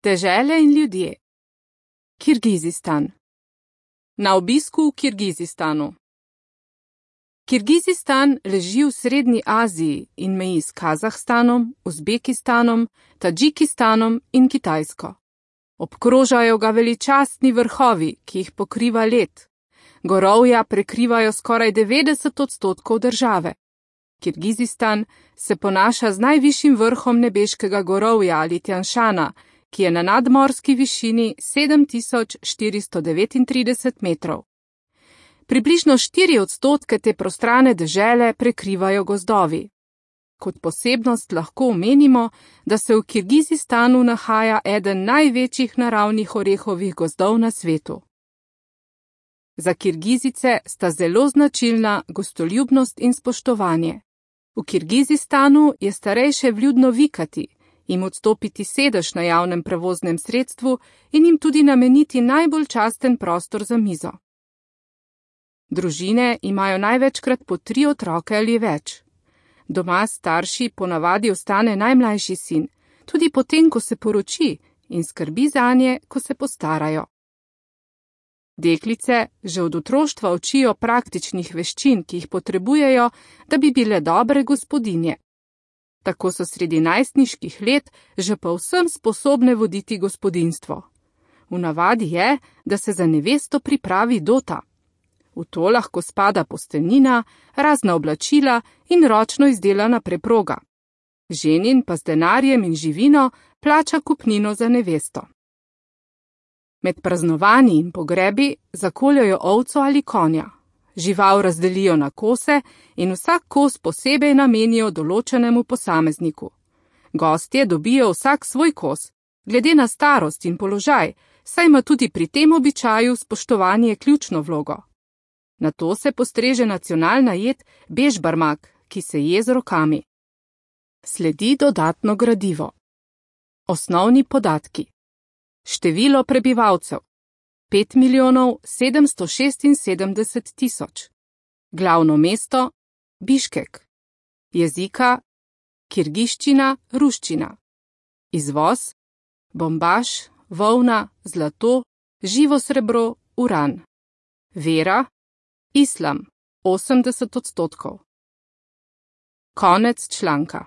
Dežele in ljudje. Kirgizistan. Na obisku v Kirgizistanu. Kirgizistan leži v Srednji Aziji in meji s Kazahstanom, Uzbekistanom, Tadžikistanom in Kitajsko. Obkrožajo ga veličastni vrhovi, ki jih pokriva led. Gorovja prekrivajo skoraj 90% države. Kirgizistan se ponaša z najvišjim vrhom nebeškega gorovja ali Tjanšana, ki je na nadmorski višini 7439 metrov. Približno 4% te prostrane dežele prekrivajo gozdovi. Kot posebnost lahko omenimo, da se v Kirgizistanu nahaja eden največjih naravnih orehovih gozdov na svetu. Za Kirgizice sta zelo značilna gostoljubnost in spoštovanje. V Kirgizistanu je starejše vljudno vikati, jim odstopiti sedež na javnem prevoznem sredstvu in jim tudi nameniti najbolj časten prostor za mizo. Družine imajo največkrat po 3 otroke ali več. Doma starši ponavadi ostane najmlajši sin, tudi potem, ko se poroči, in skrbi zanje, ko se postarajo. Deklice že od otroštva učijo praktičnih veščin, ki jih potrebujejo, da bi bile dobre gospodinje. Tako so sredi najstniških let že povsem sposobne voditi gospodinjstvo. V navadi je, da se za nevesto pripravi dota. V to lahko spada posteljnina, razna oblačila in ročno izdelana preproga. Ženin pa z denarjem in živino plača kupnino za nevesto. Med praznovanji in pogrebi zakoljajo ovco ali konja. Žival razdelijo na kose in vsak kos posebej namenijo določenemu posamezniku. Gostje dobijo vsak svoj kos, glede na starost in položaj, saj ima tudi pri tem običaju spoštovanje ključno vlogo. Nato se postreže nacionalna jed bežbarmak, ki se je z rokami. Sledi dodatno gradivo. Osnovni podatki. Število prebivalcev 5.776.000. Glavno mesto Biškek. Jezika kirgiščina, ruščina. Izvoz bombaž, volna, zlato, živo srebro, uran. Vera islam 80%. Konec članka.